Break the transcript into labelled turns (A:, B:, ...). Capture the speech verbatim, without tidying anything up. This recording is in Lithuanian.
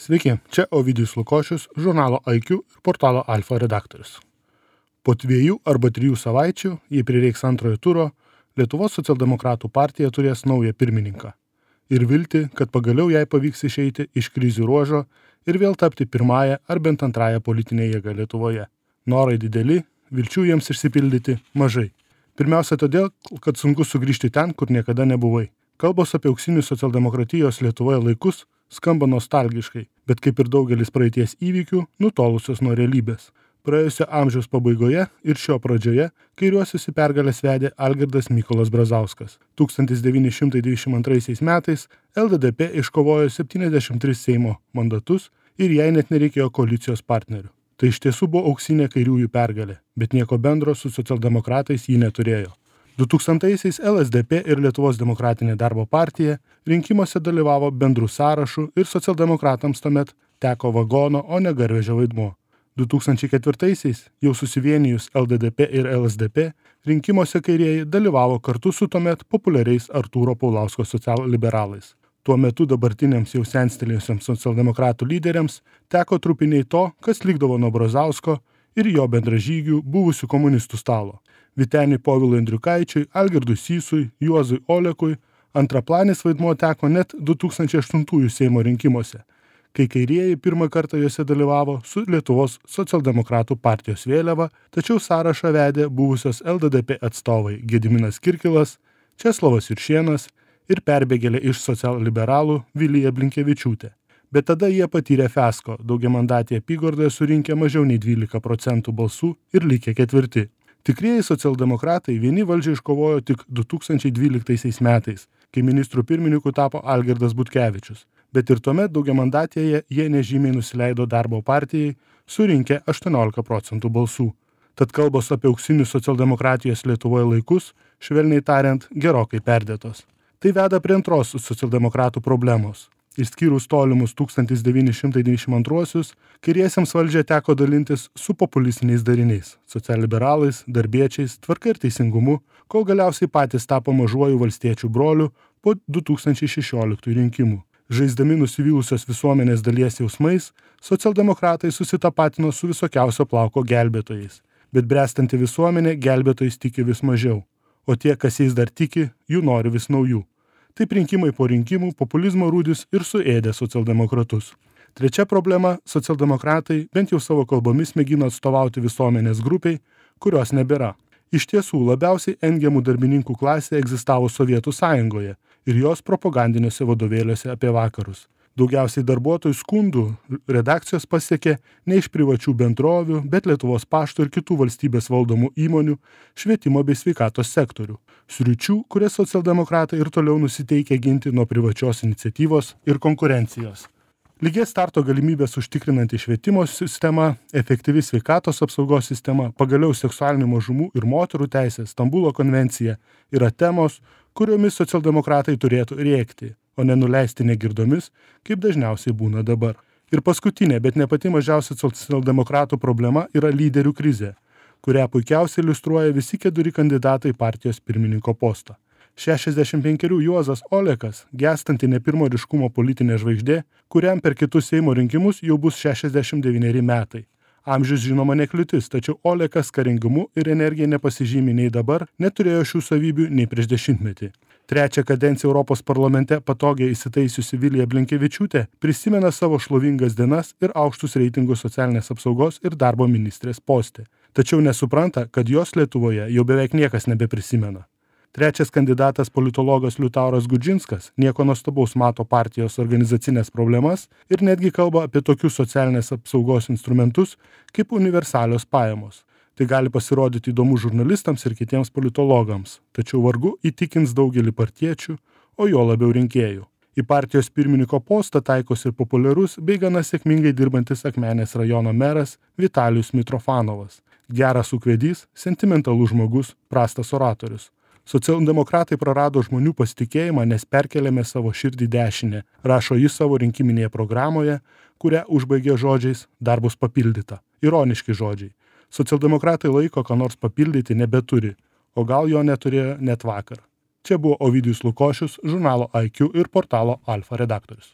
A: Sveiki, čia Ovidijus Lukošius, žurnalo I Q ir portalo Alfa redaktorius. Po dviejų arba trijų savaičių, jei prireiks antrojo turo, Lietuvos socialdemokratų partija turės naują pirmininką. Ir vilti, kad pagaliau jai pavyks išeiti iš krizių ruožo ir vėl tapti pirmąją ar bent antrąją politinę jėgą Lietuvoje. Norai dideli, vilčių jiems išsipildyti mažai. Pirmiausia todėl, kad sunku sugrįžti ten, kur niekada nebuvai. Kalbos apie auksinius socialdemokratijos Lietuvoje laikus skamba nostalgiškai, bet kaip ir daugelis praeities įvykių, nutolusios nuo realybės. Praėjusio amžiaus pabaigoje ir šio pradžioje kairiuosius į pergalės vedė Algirdas Mykolas Brazauskas. tūkstantis devyni šimtai dvidešimt antraisiais metais L D D P iškovojo septyniasdešimt tris Seimo mandatus ir jai net nereikėjo koalicijos partnerių. Tai iš tiesų buvo auksinė kairiųjų pergalė, bet nieko bendro su socialdemokratais ji neturėjo. dutūkstantaisiais L S D P ir Lietuvos demokratinė darbo partija rinkimuose dalyvavo bendrų sąrašų ir socialdemokratams tuomet teko vagono, o ne garvežio vaidmuo. du tūkstančiai ketvirtaisiais, jau susivienijus L D D P ir L S D P, rinkimuose kairieji dalyvavo kartu su tuomet populiariais Artūro Paulausko socialliberalais. Tuo metu dabartiniams jau senstelėjusiems socialdemokratų lyderiams teko trupiniai to, kas likdavo nuo Brazausko ir jo bendražygių buvusių komunistų stalo. Vyteniui Povilui Andriukaičiui, Algirdui Sysui, Juozui Olekui antraplanis vaidmuo teko net du tūkstančiai aštuntųjų Seimo rinkimuose, kai kairieji pirmą kartą juose dalyvavo su Lietuvos socialdemokratų partijos vėliava, tačiau sąrašą vedė buvusios L D D P atstovai Gediminas Kirkilas, Česlovas Juršėnas ir perbėgėlė iš socialliberalų Vilija Blinkevičiūtė. Bet tada jie patyrė fiasko, daugiamandatėje apygardoje surinkę mažiau nei dvylika procentų balsų ir likę ketvirti. Tikrieji socialdemokratai vieni valdžią iškovojo tik du tūkstančiai dvyliktaisiais metais, kai ministrų pirmininku tapo Algirdas Butkevičius. Bet ir tuomet daugiamandatėje jie nežymiai nusileido darbo partijai, surinkę aštuoniolika procentų balsų. Tad kalbos apie auksinius socialdemokratijos Lietuvoje laikus, švelniai tariant, gerokai perdėtos. Tai veda prie antros socialdemokratų problemos. Išskyrus tolimus tūkstantis devyni šimtai devyniasdešimt antruosius, kairiesiems valdžia teko dalintis su populistiniais dariniais, socialliberalais, darbiečiais, tvarka ir teisingumu, kol galiausiai patys tapo mažuoju valstiečių broliu po du tūkstančiai šešioliktųjų rinkimų. Žaisdami nusivylusios visuomenės dalies jausmais, socialdemokratai susitapatino su visokiausio plauko gelbėtojais. Bet bręstanti visuomenė gelbėtojais tiki vis mažiau, o tie, kas jais dar tiki, jų nori vis naujų. Taip rinkimai po rinkimų populizmo rūdis ir suėdė socialdemokratus. Trečia problema – socialdemokratai bent jau savo kalbomis mėgino atstovauti visuomenės grupiai, kurios nebėra. Iš tiesų labiausiai engiamų darbininkų klasė egzistavo Sovietų sąjungoje ir jos propagandiniuose vadovėliuose apie vakarus. Daugiausiai darbuotojų skundų redakcijos pasiekė ne iš privačių bendrovių, bet Lietuvos pašto ir kitų valstybės valdomų įmonių, švietimo bei sveikatos sektorių. Sričių, kurias socialdemokratai ir toliau nusiteikia ginti nuo privačios iniciatyvos ir konkurencijos. Lygiai starto galimybės užtikrinanti švietimo sistema, efektyvi sveikatos apsaugos sistema, pagaliau seksualinių mažumų ir moterų teisės, Stambulo konvencija yra temos, kuriomis socialdemokratai turėtų rėkti, o nenuleisti negirdomis, kaip dažniausiai būna dabar. Ir paskutinė, bet ne pati mažiausia socialdemokratų problema yra lyderių krizė, kurią puikiausiai iliustruoja visi keturi kandidatai partijos pirmininko postą. šešiasdešimt penkerių Juozas Olekas, gęstanti ne pirmo ryškumo politinė žvaigždė, kuriam per kitus Seimo rinkimus jau bus šešiasdešimt devyneri metai. Amžius žinoma nekliūtis, tačiau Olekas karingumu ir energija nepasižymi nei dabar, neturėjo šių savybių nei prieš dešimtmetį. Trečią kadenciją Europos parlamente patogiai įsitaisiusi Vilija Blinkevičiūtė prisimena savo šlovingas dienas ir aukštus reitingus socialinės apsaugos ir darbo ministrės poste. Tačiau nesupranta, kad jos Lietuvoje jau beveik niekas nebeprisimena. Trečias kandidatas politologas Liutauras Gudžinskas nieko nuostabaus mato partijos organizacinės problemas ir netgi kalba apie tokius socialinės apsaugos instrumentus kaip universalios pajamos. Tai gali pasirodyti įdomu žurnalistams ir kitiems politologams, tačiau vargu įtikins daugelį partiečių, o jo labiau rinkėjų. Į partijos pirmininko postą taikosi ir populiarus bei gana sėkmingai dirbantis Akmenės rajono meras Vitalijus Mitrofanovas. Geras ūkvedys, sentimentalus žmogus, prastas oratorius. Socialdemokratai prarado žmonių pasitikėjimą, nes perkėlėme savo širdį dešinę, rašo jis savo rinkiminėje programoje, kurią užbaigė žodžiais dar bus papildyta. Ironiški žodžiai. Socialdemokratai laiko, ką nors papildyti nebeturi, o gal jo neturėjo net vakar. Čia buvo Ovidijus Lukošius, žurnalo I Q ir portalo Alfa redaktorius.